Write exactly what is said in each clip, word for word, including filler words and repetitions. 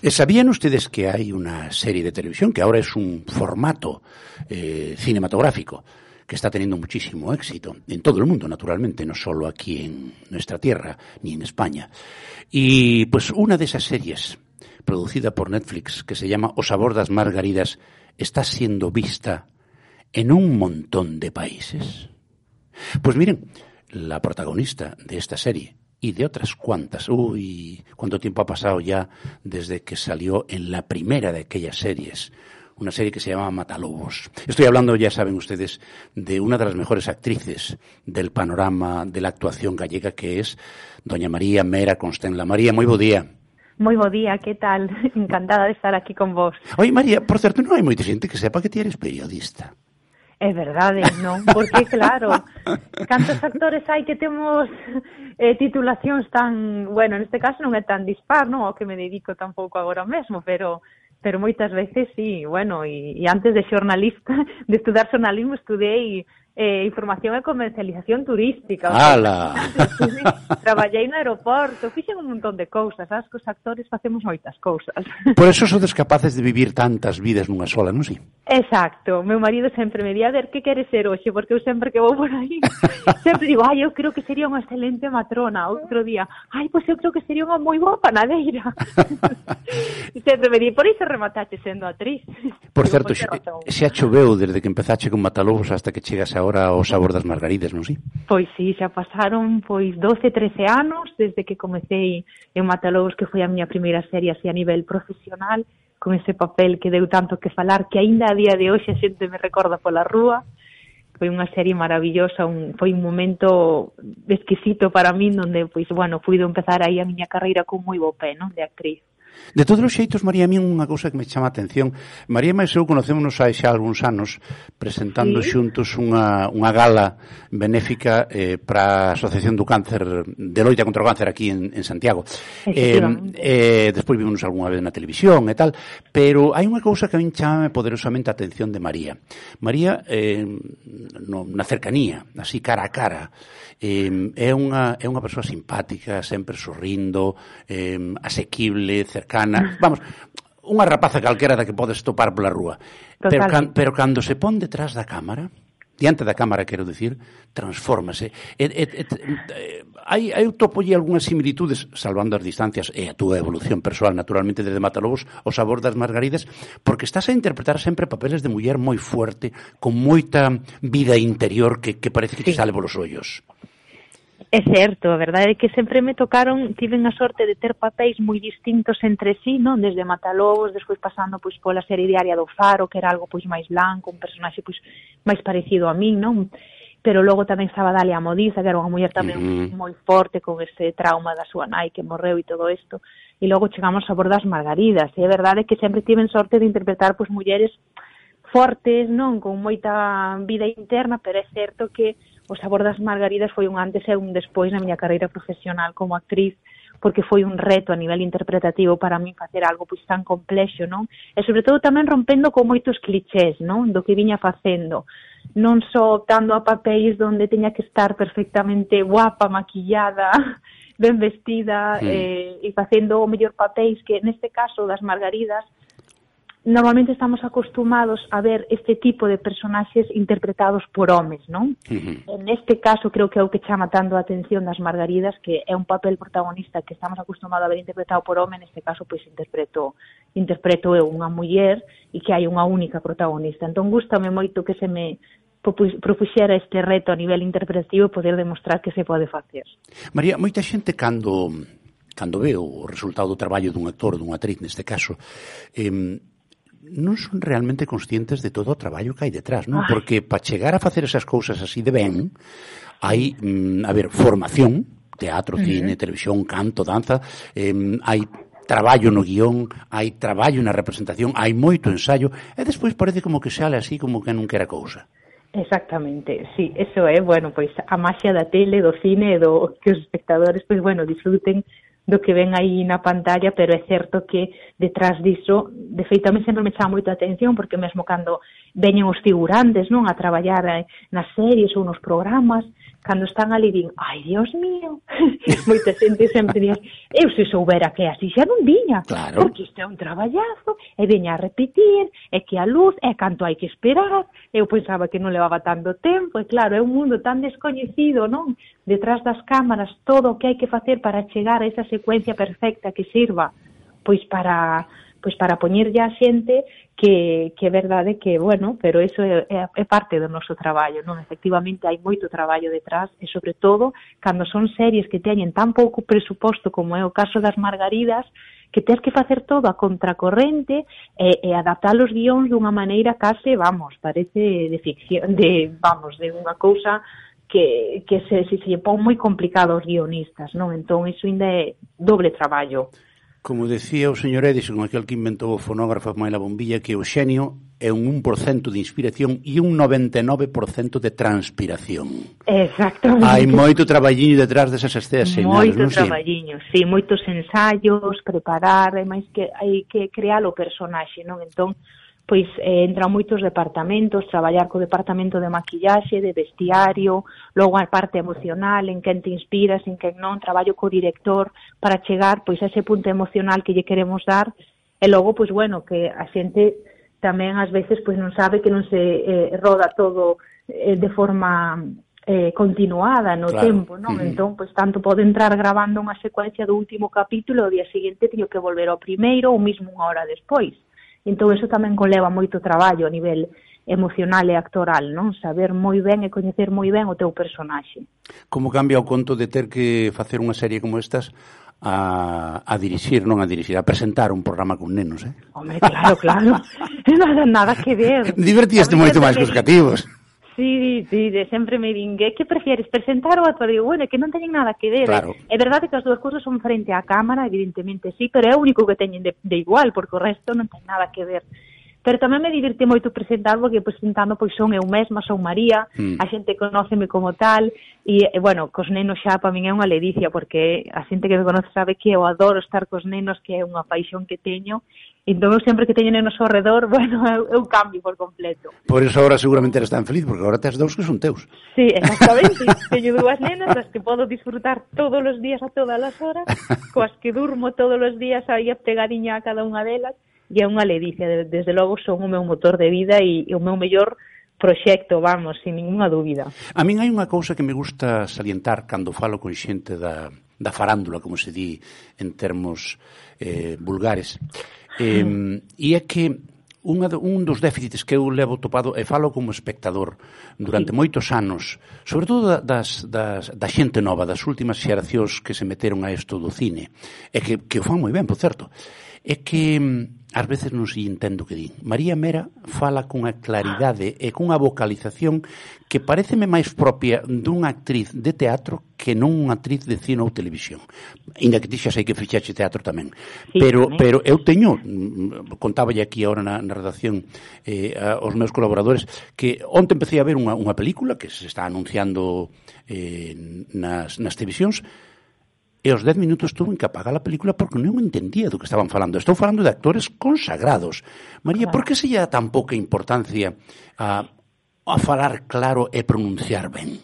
¿Sabían ustedes que hay una serie de televisión que ahora es un formato eh, cinematográfico que está teniendo muchísimo éxito en todo el mundo, naturalmente, no solo aquí en nuestra tierra ni en España? Y pues una de esas series, producida por Netflix, que se llama O sabor das margaridas, está siendo vista en un montón de países. Pues miren, la protagonista de esta serie y de otras cuantas, uy, cuánto tiempo ha pasado ya desde que salió en la primera de aquellas series, una serie que se llama Matalobos. Estoy hablando, ya saben ustedes, de una de las mejores actrices del panorama de la actuación gallega, que es doña María Mera Constenla. María, moi bo día. Moi bo día, que tal? Encantada de estar aquí con vos. Oi, María, por certo, non hai moita xente que sepa que ti eres periodista. É verdade, non? Porque, claro, cantos actores hai que temos eh, titulacións tan... Bueno, neste caso non é tan dispar, non? Ao que me dedico tampouco agora mesmo, pero pero moitas veces sí, bueno, e, e antes de xornalista, de estudar xornalismo, estudei eh, información e comercialización turística. ¡Hala! O sea, traballei no aeroporto, fixen un montón de cousas, sabes que os actores facemos moitas cousas. Por eso sodes capaces de vivir tantas vidas nunha sola, non si? Exacto, meu marido sempre me di, a ver, que queres ser hoxe? Porque eu sempre que vou por aí, sempre digo, ai, eu creo que sería unha excelente matrona. Outro día, ai, pois eu creo que sería unha moi boa panadeira. E sempre me di, por iso rematache sendo actriz. Por certo, xa, xa choveu desde que empezache con Matalobos hasta que chegas agora ao sabor das margaridas, non si? Pois sí, xa pasaron pois doce, trece anos desde que comecei en Matalobos, que foi a miña primeira serie así a nivel profesional, con ese papel que deu tanto que falar, que aínda a día de hoxe a xente me recorda pola rúa. Foi unha serie maravillosa, un, foi un momento exquisito para min, onde, pois, bueno, puido empezar aí a miña carreira con moi bo pé, non, de actriz. De todos os xeitos, María, a mí unha cousa que me chama a atención. María e eu conocémonos hai xa algúns anos presentando sí. xuntos unha, unha gala benéfica eh, para a Asociación do Cáncer, de loita contra o cáncer aquí en, en Santiago. Eh, eh, despois vimos algunha vez na televisión e tal, pero hai unha cousa que a min chama poderosamente a atención de María. María, eh, no, na cercanía, así cara a cara, eh, é unha é unha persoa simpática, sempre sorrindo, eh, asequible, cercana, vamos, unha rapaza calquera da que podes topar pola rúa. Pero, can, pero cando se pon detrás da cámara, diante da cámara, quero dicir, transfórmase. E, e, e, hai, hai topolle algunhas similitudes, salvando as distancias e a túa evolución persoal, naturalmente, desde Matalobos, o sabor das margaridas, porque estás a interpretar sempre papeles de muller moi fuerte, con moita vida interior que, que parece que te sí. sale polos ollos. É certo, a verdade é que sempre me tocaron, tiven a sorte de ter papéis moi distintos entre sí, non? Desde Matalobos, despois pasando pois pola serie diaria do Faro, que era algo pois máis blanco, un personaxe pois máis parecido a min, non? Pero logo tamén estaba Dalia Modiza, que era unha muller tamén uh-huh. moi forte con ese trauma da súa nai que morreu e todo isto. E logo chegamos a Sabor das Margaridas, e é verdade que sempre tiven sorte de interpretar pois mulleres fortes, non? Con moita vida interna, pero é certo que O Sabor das Margaridas foi un antes e un despois na miña carreira profesional como actriz, porque foi un reto a nivel interpretativo para mí facer algo pois tan complexo, non? E sobre todo tamén rompendo con moitos clichés, non? Do que viña facendo. Non só optando a papéis donde teña que estar perfectamente guapa, maquillada, ben vestida, sí. eh, e facendo o mellor papéis que neste caso das Margaridas normalmente estamos acostumados a ver este tipo de personaxes interpretados por homes, non? Uh-huh. En este caso creo que é o que chama tanto a atención das Margaridas, que é un papel protagonista que estamos acostumados a ver interpretado por home, neste caso pois interpreto interpreto eu unha muller e que hai unha única protagonista. Entón gústame moito que se me propuxera este reto a nivel interpretativo e poder demostrar que se pode facer. María, moita xente cando cando ve o resultado do traballo dun actor, dunha actriz neste caso, eh, non son realmente conscientes de todo o traballo que hai detrás, non? Ay. Porque para chegar a facer esas cousas así de ben, hai, mm, a ver, formación, teatro, uh-huh. cine, televisión, canto, danza, eh, hai traballo no guión, hai traballo na representación, hai moito ensayo, e despois parece como que sale así como que non quera cousa. Exactamente, sí, eso é, bueno, pois a maxia da tele, do cine, do que os espectadores, pois, bueno, disfruten do que ven aí na pantalla, pero é certo que detrás diso, de feito, a mí sempre me chama moito a atención, porque mesmo cando veñen os figurantes, non, a traballar nas series ou nos programas, cando están ali din, ai, Dios mío, moita xente sempre diz, eu se soubera que así xa non viña, claro. Porque isto é un traballazo, e veña a repetir, e que a luz, e canto hai que esperar, eu pensaba que non levaba tanto tempo, e claro, é un mundo tan descoñecido, non? Detrás das cámaras, todo o que hai que facer para chegar a esa secuencia perfecta que sirva, pois para... pois para poñerlle a xente que, que é verdade que, bueno, pero eso é, é parte do noso traballo, non? Efectivamente, hai moito traballo detrás e, sobre todo, cando son series que teñen tan pouco presuposto como é o caso das Margaridas, que tens que facer todo a contracorrente e, e adaptar os guións dunha maneira case, vamos, parece de ficción, de, vamos, de unha cousa que, que se, se, se pon moi complicado aos guionistas, non? Entón, iso ainda é doble traballo. Como decía o señor Edison, aquel que inventou o fonógrafo máis la bombilla, que o xenio é un un por cento de inspiración e un noventa e nove por cento de transpiración. Exactamente. Hai moito traballiño detrás desas escenas señales, non? Moito traballiño, sí, moitos ensaios, preparar, e máis que hai que crear o personaxe, non? Entón, pois eh, entran moitos departamentos, traballar co departamento de maquillaxe, de vestiario, logo a parte emocional, en quen te inspiras, en quen non, traballo co director para chegar pois a ese punto emocional que lle queremos dar, e logo, pois bueno, que a xente tamén ás veces pois non sabe que non se eh, roda todo eh, de forma eh, continuada no claro. tempo, non? Mm. Entón, pois tanto pode entrar grabando unha secuencia do último capítulo, o día seguinte teño que volver ao primeiro ou mesmo unha hora despois. Entón, eso tamén conleva moito traballo a nivel emocional e actoral, non? Saber moi ben e coñecer moi ben o teu personaxe. Como cambia o conto de ter que facer unha serie como estas a, a dirixir, non a dirixir, a presentar un programa con nenos, eh? Hombre, claro, claro. Nada, nada que ver. Divertíaste moito máis que os cativos. Sí, sí, de sempre me din, que prefieres, presentar ou actuar? Digo, bueno, é que non teñen nada que ver. Claro. É verdade que as dúas cousas son frente á cámara, evidentemente sí, pero é o único que teñen de, de igual, porque o resto non ten nada que ver. Pero tamén me divirte moito presentar, porque presentando pois son eu mesma, son María, mm. a xente conóceme como tal, e, e bueno, cos nenos xa para min é unha ledicia, porque a xente que me conoce sabe que eu adoro estar cos nenos, que é unha paixón que teño. Entón, eu sempre que teño nenos ao redor, bueno, eu, eu cambio por completo. Por eso agora seguramente eres tan feliz, porque agora tes dous que son teus. Sí, exactamente. Teño dúas nenas, das que podo disfrutar todos os días a todas as horas, coas que durmo todos os días aí pegadiña a cada unha delas, e é unha ledicia. Desde logo son o meu motor de vida e, e o meu mellor proxecto, vamos, sin ninguna dúbida. A min hai unha cousa que me gusta salientar cando falo con xente da, da farándula, como se di en termos eh, vulgares. Eh, e é que unha, un dos déficits que eu levo topado, e falo como espectador durante sí. moitos anos, sobre todo da, das, das, da xente nova, das últimas xeracións que se meteron a isto do cine, e que, que o fan moi ben, por certo, é que ás veces non se entendo o que din. María Mera fala cunha claridade e cunha vocalización que pareceme máis propia dunha actriz de teatro que non unha actriz de cine ou televisión. Ainda que ti xa sei que fixaxe teatro tamén. Sí, pero, tamén. Pero eu teño, contáballe aquí agora na, na redacción eh, aos meus colaboradores, que onte empecé a ver unha, unha película que se está anunciando eh, nas, nas televisións, e aos dez minutos tuve que apagar a película porque non entendía do que estaban falando. Estou falando de actores consagrados. María, claro. Por que se lle dá tan pouca importancia a, a falar claro e pronunciar ben?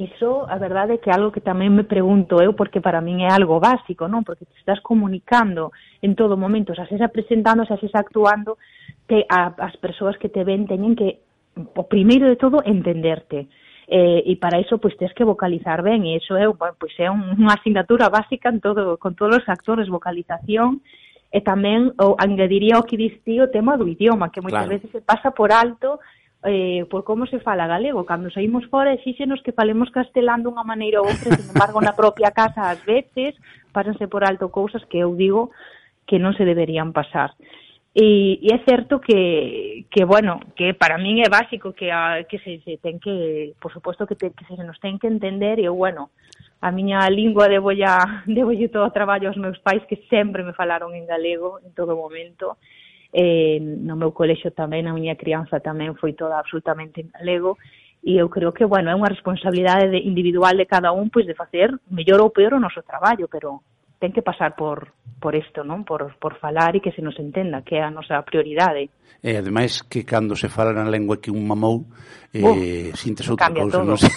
Iso, a verdade é que é algo que tamén me pregunto eu, porque para min é algo básico, non? Porque te estás comunicando en todo momento, xa sexa presentando, xa sexa actuando, que a, as persoas que te ven teñen que, o primeiro de todo, entenderte. Eh, e para iso pois tens que vocalizar ben, e iso é, bueno, pois é unha asignatura básica en todo, con todos os actores, vocalización, e tamén o, engadiría o que diste o tema do idioma, que moitas claro. veces se pasa por alto eh, por como se fala galego. Cando saímos fora exíxenos que falemos castelán dunha maneira ou outra, sin embargo na propia casa ás veces pásanse por alto cousas que eu digo que non se deberían pasar. E, e é certo que, que, bueno, que para min é básico que, a, que se, se ten que, por suposto que, te, que se nos ten que entender, e, bueno, a miña lingua debo ya, debo yo todo o traballo aos meus pais, que sempre me falaron en galego en todo momento. Eh, no meu colexio tamén, a miña crianza tamén foi toda absolutamente en galego, e eu creo que, bueno, é unha responsabilidade de, individual de cada un, pois de facer mellor ou peor o noso traballo, pero ten que pasar por por isto, non? Por, por falar e que se nos entenda, que é a nosa prioridade. E ademais que cando se fala na lengua que un mamou, eh, uh, sintes outra cousa, non sei.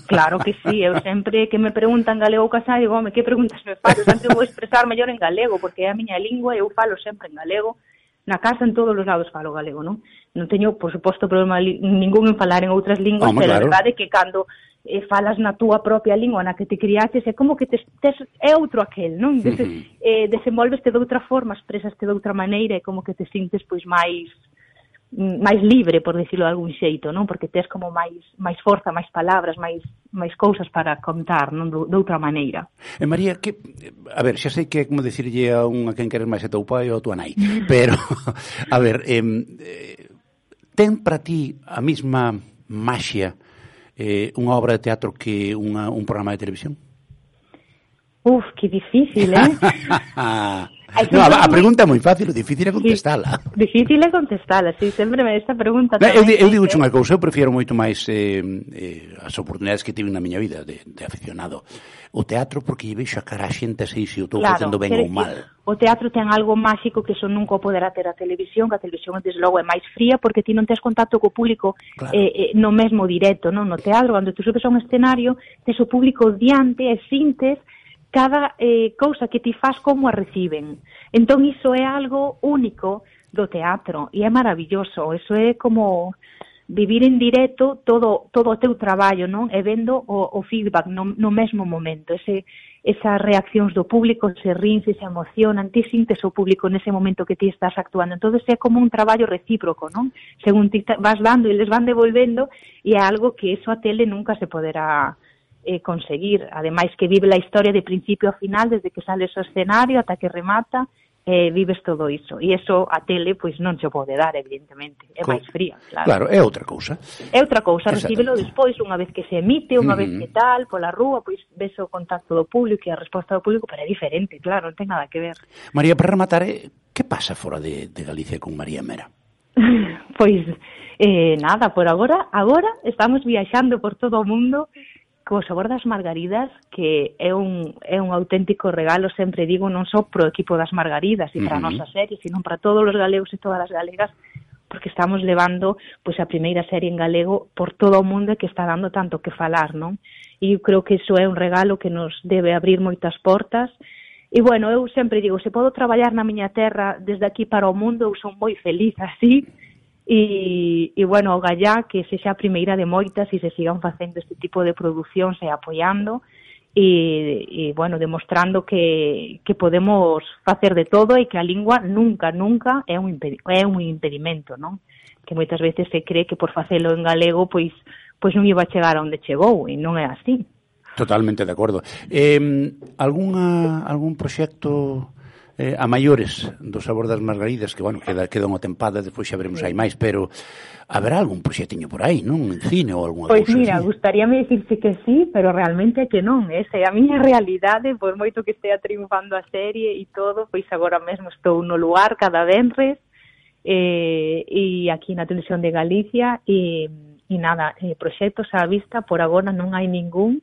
Claro que sí, eu sempre que me preguntan galego ou casado, digo, home, que preguntas me faz? Eu sempre vou expresar mellor en galego, porque é a miña lingua e eu falo sempre en galego. Na casa, en todos os lados, falo galego, non? Non teño, por suposto, problema ningún en falar en outras linguas, oh, pero claro. A verdade é que cando e falas na túa propia lingua na que te criaches, é como que te, tes, é outro aquel, non? Des, uh-huh. eh, desenvolveste de outra forma, expresaste de outra maneira, é como que te sintes pois máis máis libre, por decirlo de algún xeito, non? Porque tes como máis máis forza, máis palabras, máis máis cousas para contar, non? De outra maneira. E María, que a ver, xa sei que é como decirlle a un a quen queres máis a teu pai ou a tua nai, pero a ver, eh, ten para ti a mesma maxia Eh, unha obra de teatro que unha, un programa de televisión? Uf, que difícil, eh? No, a, a pregunta é moi fácil, o difícil é contestala. Sí, difícil é contestala, si, sí, sempre me esta pregunta. No, eu, eu digo unha cousa, eu prefiero moito máis eh, eh, as oportunidades que tive na miña vida de, de aficionado. O teatro, porque lle vexo a cara a xente sei se o estou claro, facendo ben ou mal. O teatro ten algo máxico que eso nunca poderá ter a televisión, que a televisión, desde logo, é máis fría, porque ti non tes contacto co público claro. eh, eh, no mesmo directo, non? No teatro, cando tú subes a un escenario, tes o público diante e sintes cada eh, cousa que ti faz como a reciben. Entón, iso é algo único do teatro, e é maravilloso. Eso é como vivir en directo todo todo o teu traballo, non? E vendo o, o feedback no, no mesmo momento, ese esas reaccións do público, se rin, se se emocionan, ti sintes o público nese momento que ti estás actuando. Entón, é como un traballo recíproco, non? Según ti vas dando e les van devolvendo, e é algo que eso a tele nunca se poderá eh, conseguir. Ademais que vive a historia de principio a final, desde que sales ao escenario ata que remata, eh, vives todo iso. E iso a tele, pois, non se pode dar, evidentemente. É máis fría, claro. Claro, é outra cousa. É outra cousa, recíbelo despois, unha vez que se emite, unha uh-huh. vez que tal, pola rúa, pois, ves o contacto do público e a resposta do público, pero é diferente, claro, non ten nada que ver. María, para rematar, que pasa fora de, de Galicia con María Mera? Pois, eh, nada, por agora, agora estamos viaxando por todo o mundo co sabor das margaridas, que é un, é un auténtico regalo, sempre digo, non só pro equipo das margaridas e para uh-huh. a nosa serie, sino para todos os galegos e todas as galegas, porque estamos levando pois a primeira serie en galego por todo o mundo que está dando tanto que falar, non? E eu creo que iso é un regalo que nos debe abrir moitas portas. E, bueno, eu sempre digo, se podo traballar na miña terra desde aquí para o mundo, eu son moi feliz así. E, e bueno, o gallá que sexa a primeira de moitas e se sigan facendo este tipo de producións e apoiando e, e bueno, demostrando que, que podemos facer de todo e que a lingua nunca, nunca é un, impedi- é un impedimento, non? Que moitas veces se cree que por facelo en galego pois, pois non iba a chegar a onde chegou e non é así. Totalmente de acordo. Eh, algunha, algún proxecto eh, a maiores do sabor das margaridas, que, bueno, queda, queda unha tempada, despois xa veremos aí máis, pero haberá algún proxectiño por aí, non? En cine ou algunha pois cousa mira, así. gustaríame dicirse que sí, pero realmente que non, esa é a miña realidade, por moito que estea triunfando a serie e todo, pois agora mesmo estou no lugar cada venres, eh, e aquí na televisión de Galicia, e, e nada, eh, proxectos á vista, por agora non hai ningún.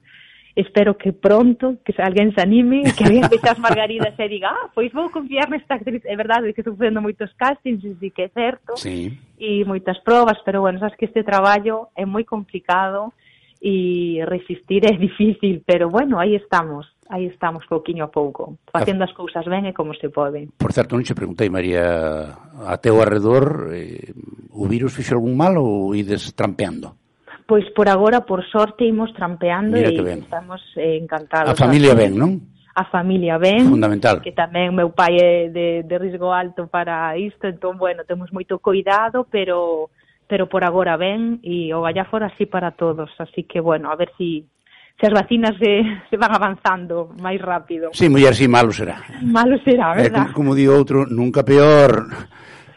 Espero que pronto, que alguén se anime, que alguén vexa as margaridas e diga, ah, pois vou confiar nesta actriz. É verdade que estou facendo moitos castings, e sí que é certo, sí. E moitas probas, pero bueno, sabes que este traballo é moi complicado e resistir é difícil, pero bueno, aí estamos, aí estamos pouquiño a pouco, facendo as cousas ben e como se pode. Por certo, non che preguntei, María, a teu arredor, eh, o virus fixo algún mal ou ides trampeando? Pois por agora, por sorte, imos trampeando e estamos eh, encantados. A familia ben, non? A familia ben. Fundamental. Que tamén meu pai é de, de risco alto para isto, entón, bueno, temos moito cuidado, pero pero por agora ben, e o gallá fora así para todos. Así que, bueno, a ver si, se as vacinas se, se van avanzando máis rápido. Sí, muller, sí, malo será. Malo será, verdad? Eh, como, como digo outro, nunca peor.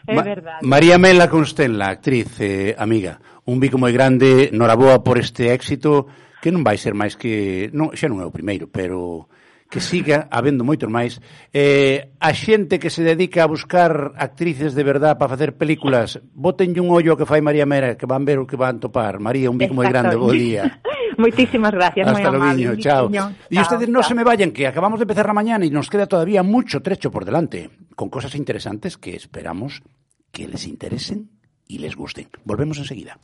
É Ma- verdade. María Mela Constenla, actriz, eh, amiga, un bico moi grande, noraboa por este éxito, que non vai ser máis que... Non, xa non é o primeiro, pero que siga habendo moitos máis. Eh, a xente que se dedica a buscar actrices de verdad para facer películas, botenlle un ollo ao que fai María Mera, que van ver o que van topar. María, un bico moi grande, bo día. Moitísimas gracias, moi amable. Hasta luego, chao. Y ustedes no se me vayan, que acabamos de empezar la mañana y nos queda todavía mucho trecho por delante, con cosas interesantes que esperamos que les interesen y les gusten. Volvemos enseguida.